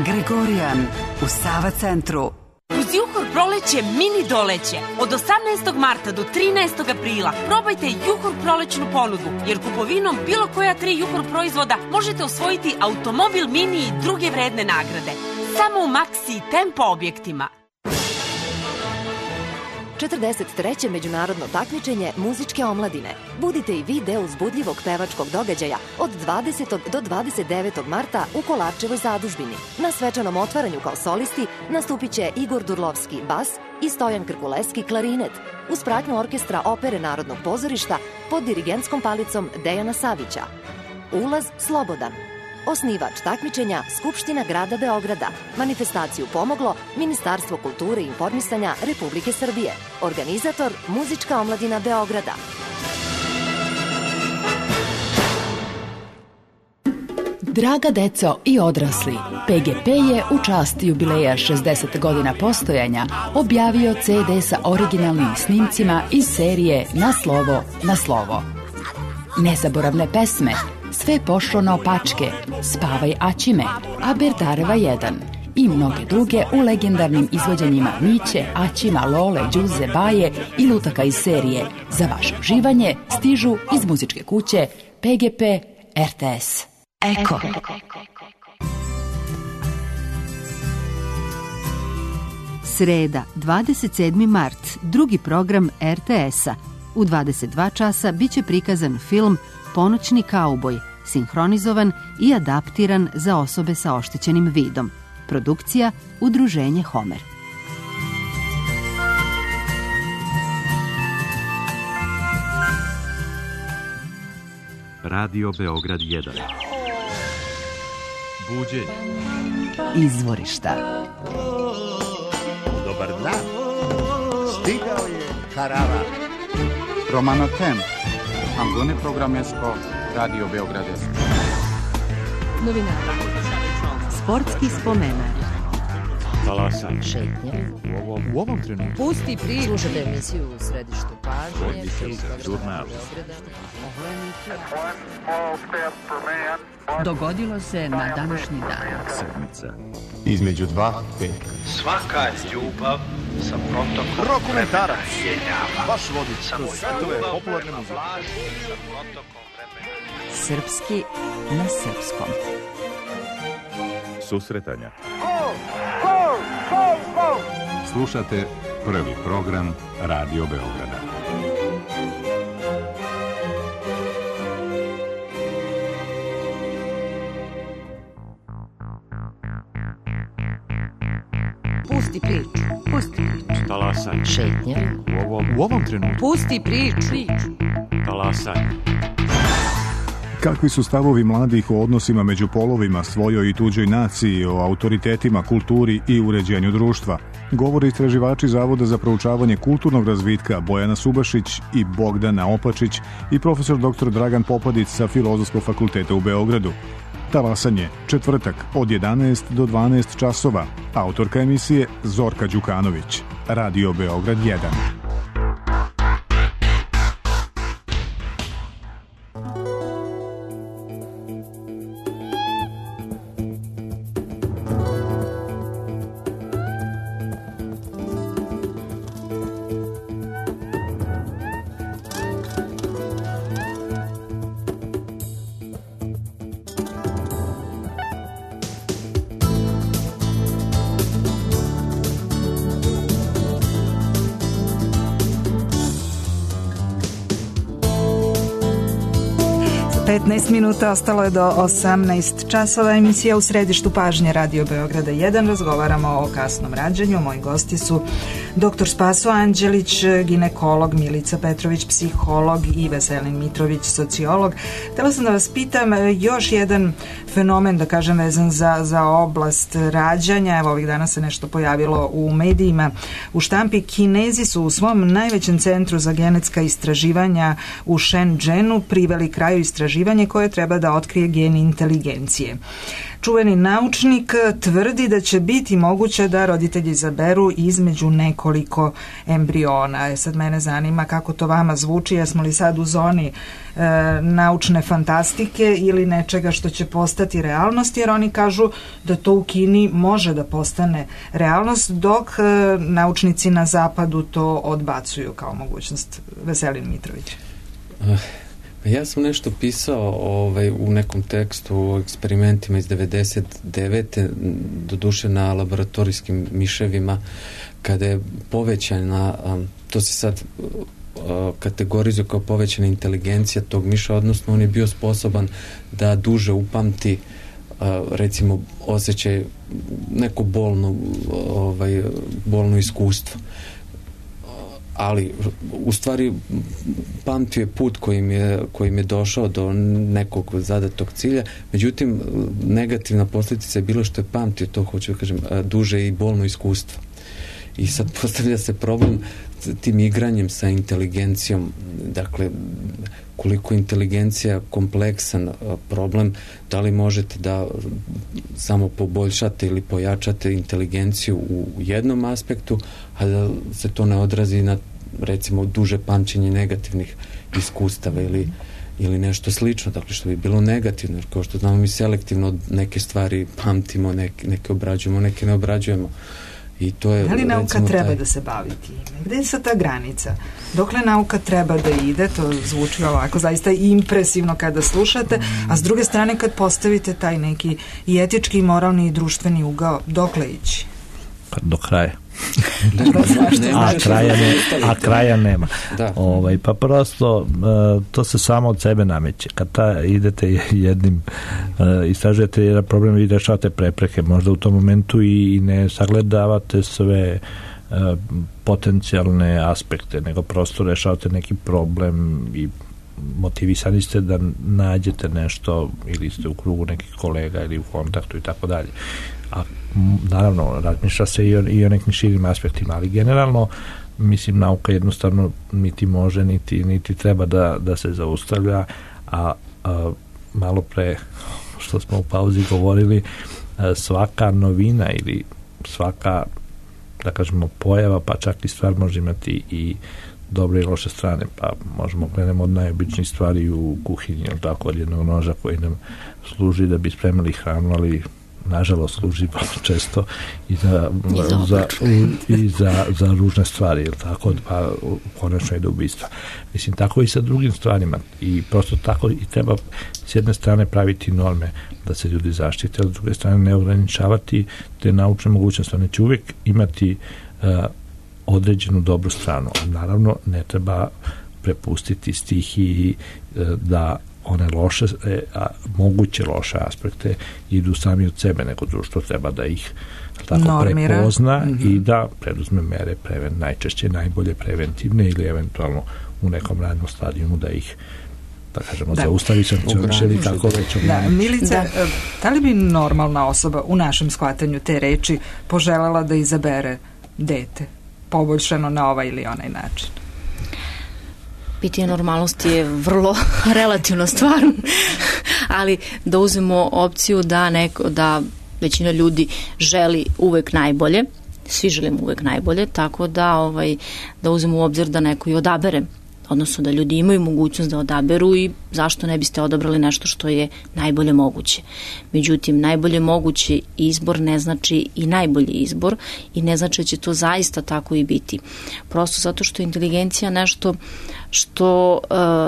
Gregorijan u Sava centru. Uz Juhor proleće mini doleće. Od 18. marta do 13. aprila probajte Juhor prolećnu ponudu, jer kupovinom bilo koja 3 Juhor proizvoda možete osvojiti automobil mini i druge vredne nagrade. Samo u Maxi i Tempo objektima. 43. međunarodno takmičenje muzičke omladine. Budite i vi deo uzbudljivog pevačkog događaja od 20. do 29. marta u Kolarčevoj zadužbini. Na svečanom otvaranju kao solisti nastupit će Igor Durlovski bas i Stojan Krkuleski klarinet, uz pratnju orkestra Opere Narodnog pozorišta pod dirigentskom palicom Dejana Savića. Ulaz slobodan. Osnivač takmičenja Skupština grada Beograda. Manifestaciju pomoglo Ministarstvo kulture i informisanja Republike Srbije. Organizator Muzička omladina Beograda. Draga deco i odrasli, PGP je u čast jubileja 60 godina postojanja objavio CD sa originalnim snimcima iz serije Na slovo, na slovo. Nezaboravne pesme Sve pošlo naopačke, Spavaj Aćime, Aberdareva 1 i mnoge druge u legendarnim izvođenjima Miće, Aćima, Lole, Đuze, Baje i lutaka iz serije za vaše uživanje stižu iz muzičke kuće PGP RTS. Eko. Sreda, 27. mart, drugi program RTS-a. U 22 časa biće prikazan film Ponoćni kauboj, sinhronizovan i adaptiran za osobe sa oštećenim vidom. Produkcija Udruženje Homer. Radio Beograd 1. Buđenje. Izvorišta. Dobar dan. Stigao je karavan. Romana Tem. Angone programesko, Radio Beograd. Novinara. Sportski spomenar. Talasan. Šetnje. U ovom trenutku. Pusti priču. Slušate emisiju u Središtu pažnje. Žurnal. Dogodilo se na današnji dan. Sedmica. Između dva peka. Svaka ljubav sa protokom Rokomentarac. Vaš vodič kroz svetove popularne muzike. Srpski na srpskom. Susretanja. Slušate prvi program Radio Beograda. Pusti priču. Pusti priču. Talasan. Šetnje. U ovom trenutku. Pusti priču. Talasan. Kakvi su stavovi mladih o odnosima među polovima, svojoj i tuđoj naciji, o autoritetima, kulturi i uređenju društva? Govore istraživači Zavoda za proučavanje kulturnog razvitka Bojana Subašić i Bogdana Opačić i profesor dr. Dragan Popadić sa Filozofskog fakulteta u Beogradu. Talasanje, četvrtak od 11 do 12 časova. Autorka emisije Zorka Đukanović. Radio Beograd 1. Minuta ostalo je do 18 časova. Emisija u središtu pažnje Radio Beograda 1. Razgovaramo o kasnom rađanju. Moji gosti su Dr. Spaso Anđelić, ginekolog, Milica Petrović, psiholog i Veselin Mitrović, sociolog. Htela sam da vas pitam još jedan fenomen, da kažem, vezan za oblast rađanja. Evo, ovih dana se nešto pojavilo u medijima, u štampi. Kinezi su u svom najvećem centru za genetska istraživanja u Shenzhenu priveli kraju istraživanje koje treba da otkrije gen inteligencije. Čuveni naučnik tvrdi da će biti moguće da roditelji izaberu između nekoliko embriona. Sad mene zanima kako to vama zvuči, jesmo li sad u zoni naučne fantastike ili nečega što će postati realnost, jer oni kažu da to u Kini može da postane realnost, dok naučnici na zapadu to odbacuju kao mogućnost. Veselin Mitrović. Ja sam nešto pisao u nekom tekstu o eksperimentima iz 99. doduše na laboratorijskim miševima, kada je povećana, to se sad kategorizuje kao povećana inteligencija tog miša, odnosno on je bio sposoban da duže upamti recimo osjećaj neko bolno iskustvo. Ali u stvari pamtio je put kojim je došao do nekog zadatog cilja, međutim negativna posljedica je bilo što je pamtio to, hoću da kažem, duže i bolno iskustvo. I sad postavlja se problem tim igranjem sa inteligencijom, dakle koliko inteligencija kompleksan problem, da li možete da samo poboljšate ili pojačate inteligenciju u jednom aspektu, a da se to ne odrazi na recimo duže pamćenje negativnih iskustava ili nešto slično, dakle što bi bilo negativno, jer kao što znamo mi selektivno neke stvari pamtimo, neke obrađujemo, neke ne obrađujemo. I to je, da li nauka treba da se bavi time? Gde je sad ta granica? Dokle nauka treba da ide? To zvuči ovako zaista impresivno kada slušate, a s druge strane kad postavite taj neki i etički, i moralni i društveni ugao, dokle ići? Do kraja. a kraja nema. Pa prosto to se samo od sebe nameće. Kad idete jednim istražujete jedan problem i rešavate prepreke, možda u tom momentu i ne sagledavate sve potencijalne aspekte, nego prosto rešavate neki problem i motivisani ste da nađete nešto, ili ste u krugu nekih kolega ili u kontaktu i tako dalje. A naravno razmišlja se i o nekim širim aspektima, ali generalno mislim nauka jednostavno niti može niti treba da se zaustavlja, a malo pre što smo u pauzi govorili, svaka novina ili svaka, da kažemo, pojava, pa čak i stvar može imati i dobre i loše strane, pa možemo krenemo od najobičnijih stvari u kuhinji, ili tako, od jednog noža koji nam služi da bi spremili hranu, ali nažalost služi često i za ružne stvari, ili tako, pa konačno i do ubistva. Mislim, tako i sa drugim stvarima, i prosto tako i treba s jedne strane praviti norme da se ljudi zaštite, a s druge strane ne ograničavati te naučne mogućnosti. One će uvijek imati određenu dobru stranu, a naravno ne treba prepustiti stihiji da one loše, moguće loše aspekte idu sami od sebe, nego društvo treba da ih tako prepozna i da preduzme mere najčešće najbolje preventivne ili eventualno u nekom radnom stadijumu da ih, da kažemo, zaustavi sankcioniše ili tako već. Milice, da li bi normalna osoba u našem shvatanju te reči poželjela da izabere dete poboljšano na ovaj ili onaj način? Pitanje normalnosti je vrlo relativna stvar, ali da uzmemo opciju da većina ljudi želi uvek najbolje, svi želimo uvek najbolje, tako da uzmemo u obzir da neko i odabere, odnosno da ljudi imaju mogućnost da odaberu i zašto ne biste odabrali nešto što je najbolje moguće. Međutim, najbolje mogući izbor ne znači i najbolji izbor i ne znači da će to zaista tako i biti. Prosto zato što je inteligencija nešto što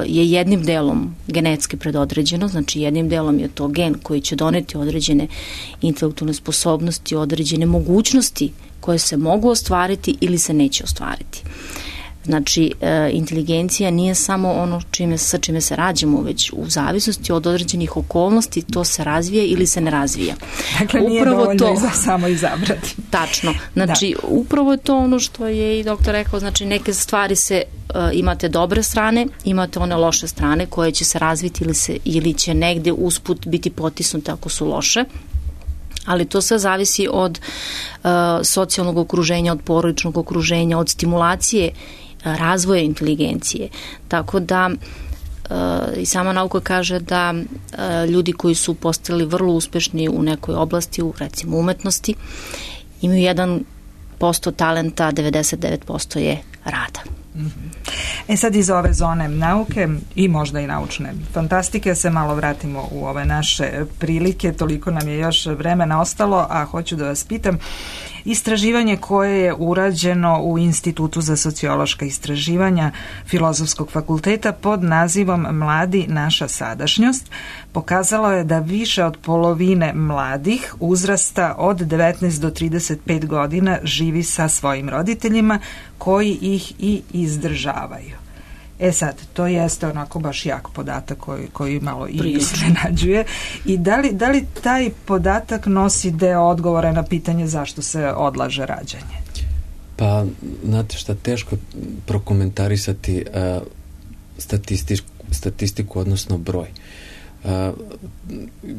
je jednim delom genetski predodređeno, znači jednim delom je to gen koji će doneti određene intelektualne sposobnosti, određene mogućnosti koje se mogu ostvariti ili se neće ostvariti. Znači, inteligencija nije samo ono sa čime se rađamo, već u zavisnosti od određenih okolnosti to se razvija ili se ne razvija. Dakle, nije dovoljno samo izabrati. Tačno. Znači, upravo je to ono što je i doktor rekao, znači neke stvari se imate dobre strane, imate one loše strane koje će se razviti ili će negde usput biti potisnute ako su loše. Ali to sve zavisi od socijalnog okruženja, od porodičnog okruženja, od stimulacije razvoja inteligencije. Tako da i sama nauka kaže da ljudi koji su postali vrlo uspešni u nekoj oblasti, u recimo umetnosti, imaju 1% talenta, 99% je rada. Sad iz ove zone nauke i možda i naučne fantastike se malo vratimo u ove naše prilike, toliko nam je još vremena ostalo, a hoću da vas pitam, istraživanje koje je urađeno u Institutu za sociološka istraživanja Filozofskog fakulteta pod nazivom Mladi, naša sadašnjost pokazalo je da više od polovine mladih uzrasta od 19 do 35 godina živi sa svojim roditeljima koji ih i izdržavaju. Sad, to jeste onako baš jak podatak koji malo i iznenađuje. I da li taj podatak nosi deo odgovora na pitanje zašto se odlaže rađanje? Pa, znate šta, teško prokomentarisati statistiku, odnosno broj.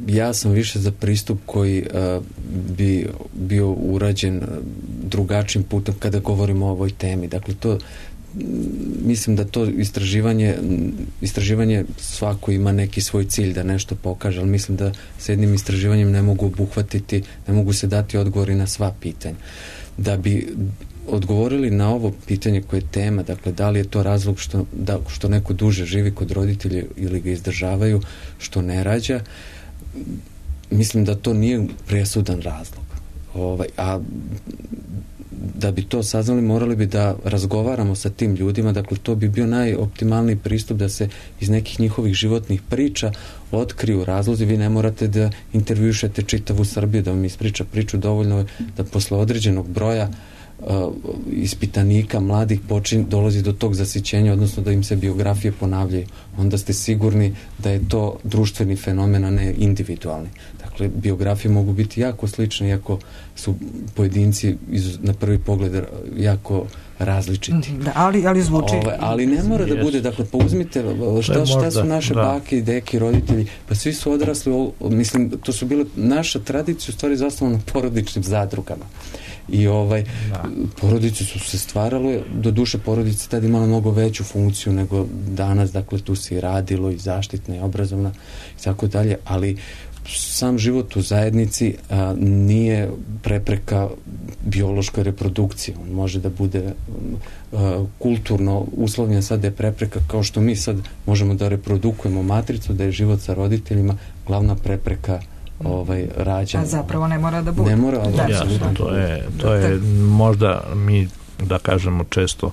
Ja sam više za pristup koji bi bio urađen drugačijim putem kada govorimo o ovoj temi. Dakle, mislim da to istraživanje svako ima neki svoj cilj da nešto pokaže, ali mislim da s jednim istraživanjem ne mogu obuhvatiti, ne mogu se dati odgovori na sva pitanja. Da bi odgovorili na ovo pitanje koje je tema, dakle, da li je to razlog što neko duže živi kod roditelja ili ga izdržavaju, što ne rađa, mislim da to nije presudan razlog. A da bi to saznali, morali bi da razgovaramo sa tim ljudima, dakle to bi bio najoptimalniji pristup da se iz nekih njihovih životnih priča otkriju razlozi. Vi ne morate da intervjušete čitavu Srbiju da vam ispriča priču, dovoljno je da posle određenog broja ispitanika mladih dolazi do tog zasićenja, odnosno da im se biografije ponavljaju. Onda ste sigurni da je to društveni fenomen, a ne individualni. Dakle, biografije mogu biti jako slične, iako su pojedinci na prvi pogled jako različiti. Da, ali zvuči. Ali ne mora da bude, dakle, pa uzmite šta su naše bake i deke, roditelji, pa svi su odrasli, mislim, to su bile, naša tradicija u stvari zasnovana na porodičnim zadrugama. I porodice su se stvarale, do duše porodice tada imala mnogo veću funkciju nego danas, dakle tu se i radilo i zaštitna i obrazovna i tako dalje, ali sam život u zajednici nije prepreka biološkoj reprodukciji. On može da bude kulturno uslovljen, sad je prepreka, kao što mi sad možemo da reprodukujemo matricu, da je život sa roditeljima glavna prepreka rađanja. A zapravo ne mora da bude. Ne mora, ali jasno, to je možda mi da kažemo često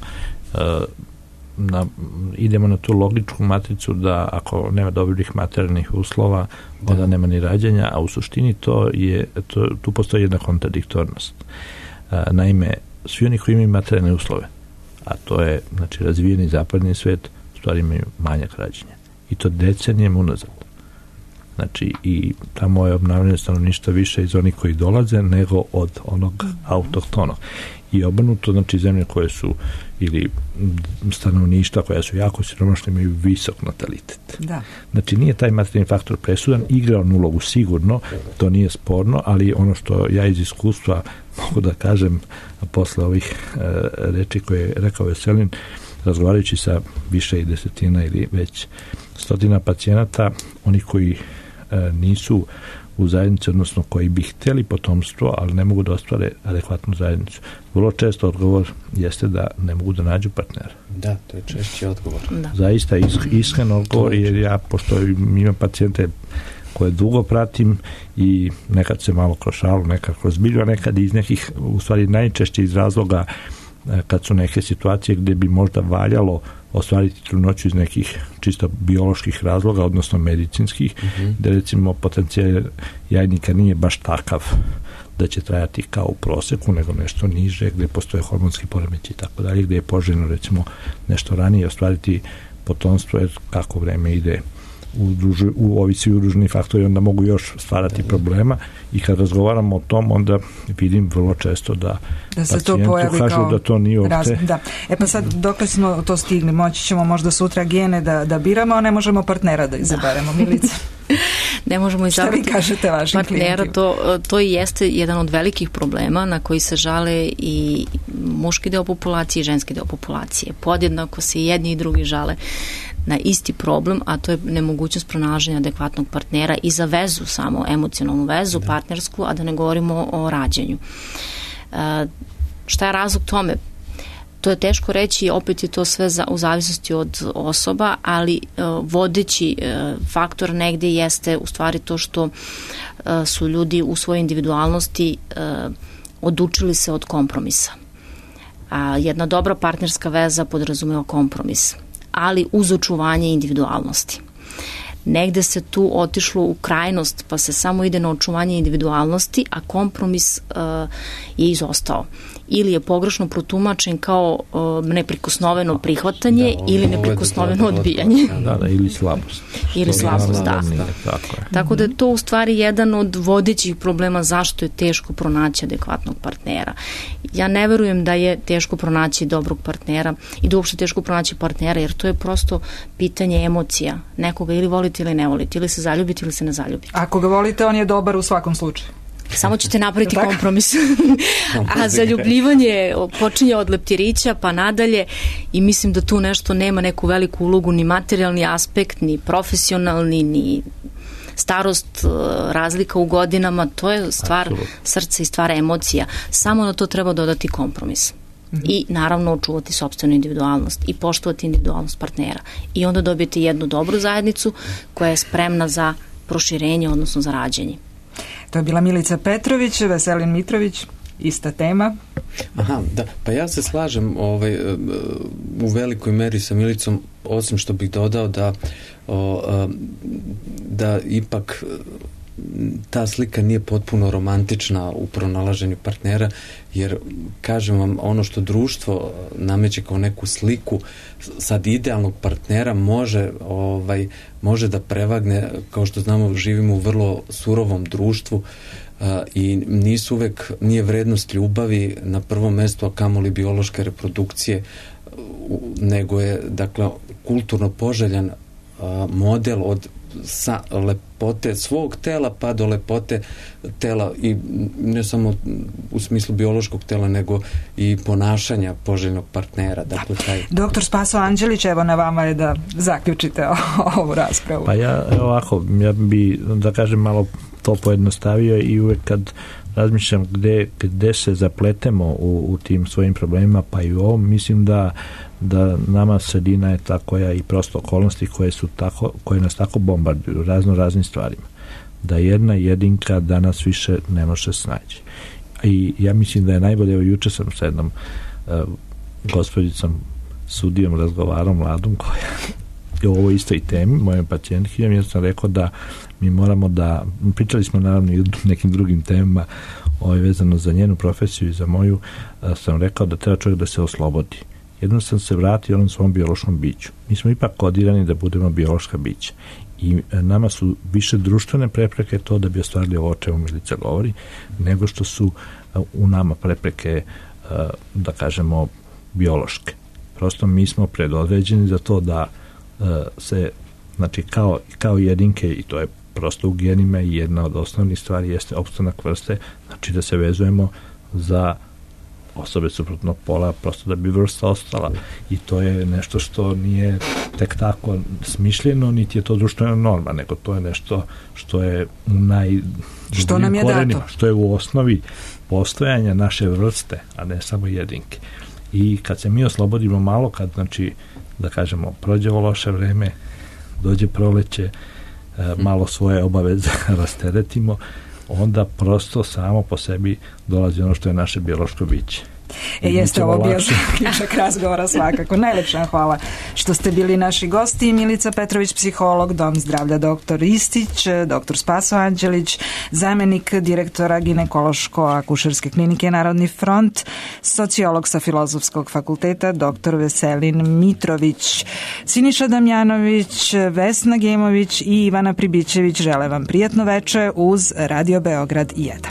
idemo na tu logičku matricu da ako nema dobrih materijalnih uslova, onda nema ni rađanja, a u suštini tu postoji jedna kontradiktornost. Naime, svi oni koji imaju materijalne uslove, a to je, znači, razvijeni zapadni svet, u stvari imaju manjak rađanja. I to decenijem unazad. Znači, i tamo je obnavljanje stanovništva više iz onih koji dolaze nego od onog autohtonog. I obrnuto, znači, zemlje koje su ili stanovništva koja su jako siromašne imaju visok natalitet. Da. Znači, nije taj materijalni faktor presudan, igra on ulogu sigurno, to nije sporno, ali ono što ja iz iskustva mogu da kažem posle ovih reči koje je rekao Veselin, razgovarajući sa više i desetina ili već stotina pacijenata, oni koji nisu u zajednici, odnosno koji bi hteli potomstvo, ali ne mogu da ostvare adekvatnu zajednicu. Vrlo često odgovor jeste da ne mogu da nađu partnera. Da, to je češći odgovor. Da. Zaista iskren odgovor, jer ja, pošto imam pacijente koje dugo pratim i nekad se malo kroz šalu, nekad kroz bilju, a nekad iz nekih, u stvari najčešće iz razloga kad su neke situacije gdje bi možda valjalo ostvariti trudnoću iz nekih čisto bioloških razloga, odnosno medicinskih, gdje recimo potencijal jajnika nije baš takav da će trajati kao u proseku, nego nešto niže, gde postoje hormonski poremeći i tako dalje, gde je poželjno recimo nešto ranije ostvariti potomstvo, jer kako vreme ide u ovisi udruženi faktori, onda mogu još stvarati problema, i kad razgovaramo o tom, onda vidim vrlo često da se to pojavi kažu kao da to nije uopšte. Da. Pa sad, dokle smo to stigli, moći ćemo možda sutra gene da biramo, a ne možemo partnera da izaberemo, Milica. Ne možemo izabrati. Šta vi kažete vašim partnera, klijentima? to i jeste jedan od velikih problema na koji se žale i muški deo populacije i ženski deo populacije. Podjednako se i jedni i drugi žale na isti problem, a to je nemogućnost pronalaženja adekvatnog partnera i za vezu, samo emocionalnu vezu, partnersku, a da ne govorimo o rađanju. Šta je razlog tome? To je teško reći, opet je to sve u zavisnosti od osoba, ali vodeći faktor negde jeste u stvari to što su ljudi u svojoj individualnosti odučili se od kompromisa. A jedna dobra partnerska veza podrazumeva kompromis, ali uz očuvanje individualnosti. Negde se tu otišlo u krajnost, pa se samo ide na očuvanje individualnosti, a kompromis je izostao. Ili je pogrešno protumačen kao neprikosnoveno prihvatanje ili neprikosnoveno odbijanje. Ili slabost. Ili slabost, da. Tako da je to u stvari jedan od vodećih problema zašto je teško pronaći adekvatnog partnera. Ja ne verujem da je teško pronaći dobrog partnera i da uopšte teško pronaći partnera, jer to je prosto pitanje emocija. Nekoga ili volite ili ne volite, ili se zaljubite ili se ne zaljubite. Ako ga volite, on je dobar u svakom slučaju. Samo ćete napraviti kompromis. A zaljubljivanje počinje od leptirića pa nadalje, i mislim da tu nešto nema neku veliku ulogu, ni materijalni aspekt, ni profesionalni, ni starost, razlika u godinama, to je stvar srca i stvar emocija. Samo na to treba dodati kompromis. I naravno očuvati sopstvenu individualnost i poštovati individualnost partnera. I onda dobijete jednu dobru zajednicu koja je spremna za proširenje, odnosno za rađenje. To je bila Milica Petrović, Veselin Mitrović, ista tema. Aha, da, pa ja se slažem u velikoj meri sa Milicom, osim što bih dodao da ipak ta slika nije potpuno romantična u pronalaženju partnera, jer kažem vam, ono što društvo nameće kao neku sliku sad idealnog partnera može da prevagne. Kao što znamo, živimo u vrlo surovom društvu i nije vrednost ljubavi na prvom mestu, a kamoli biološke reprodukcije, nego je, dakle, kulturno poželjan model od lepote svog tela pa do lepote tela, i ne samo u smislu biološkog tela, nego i ponašanja poželjnog partnera. Dakle, Doktor Spaso Anđelić, evo na vama je da zaključite ovu raspravu. Pa ja bi, da kažem, malo to pojednostavio, i uvek kad razmišljam gde se zapletemo u tim svojim problemima, pa i u ovom, mislim da nama sredina je ta koja, i prosto okolnosti koje nas tako bombarduju raznim stvarima, da jedna jedinka danas više ne može snaći. I ja mislim da je najbolje, evo juče sam sa jednom gospođicom sudijom razgovarao, mladom, koja je o ovoj istoj temi, mojom pacijentkinjom, jer sam rekao da mi moramo pričali smo naravno i o nekim drugim temama vezano za njenu profesiju i za moju, sam rekao da treba čovjek da se oslobodi. Jednom sam se vratio onom svom biološkom biću. Mi smo ipak kodirani da budemo biološka bića. I nama su više društvene prepreke to da bi ostvarili ovo o čemu Milica govori, nego što su u nama prepreke, da kažemo, biološke. Prosto mi smo predodređeni za to da se, znači, kao jedinke, i to je prosto u genima, i jedna od osnovnih stvari jeste opstanak vrste, znači da se vezujemo za osobe suprotnog pola, prosto da bi vrsta ostala, i to je nešto što nije tek tako smišljeno, niti je to društvena norma, nego to je nešto što je što nam je dato, što je u osnovi postojanja naše vrste, a ne samo jedinke. I kad se mi oslobodimo malo, kad, znači, da kažemo, prođe ovo loše vreme, dođe proleće, malo svoje obaveze rasteretimo, onda prosto samo po sebi dolazi ono što je naše biološko biće. Jeste ovo bio zaključak razgovora svakako. Najlepša hvala što ste bili naši gosti. Milica Petrović, psiholog, Dom zdravlja dr. Istić, dr. Spaso Anđelić, zamenik direktora ginekološko-akušerske klinike Narodni front, sociolog sa Filozofskog fakulteta, dr. Veselin Mitrović, Siniša Damjanović, Vesna Gemović i Ivana Pribićević žele vam prijatno veče uz Radio Beograd 1.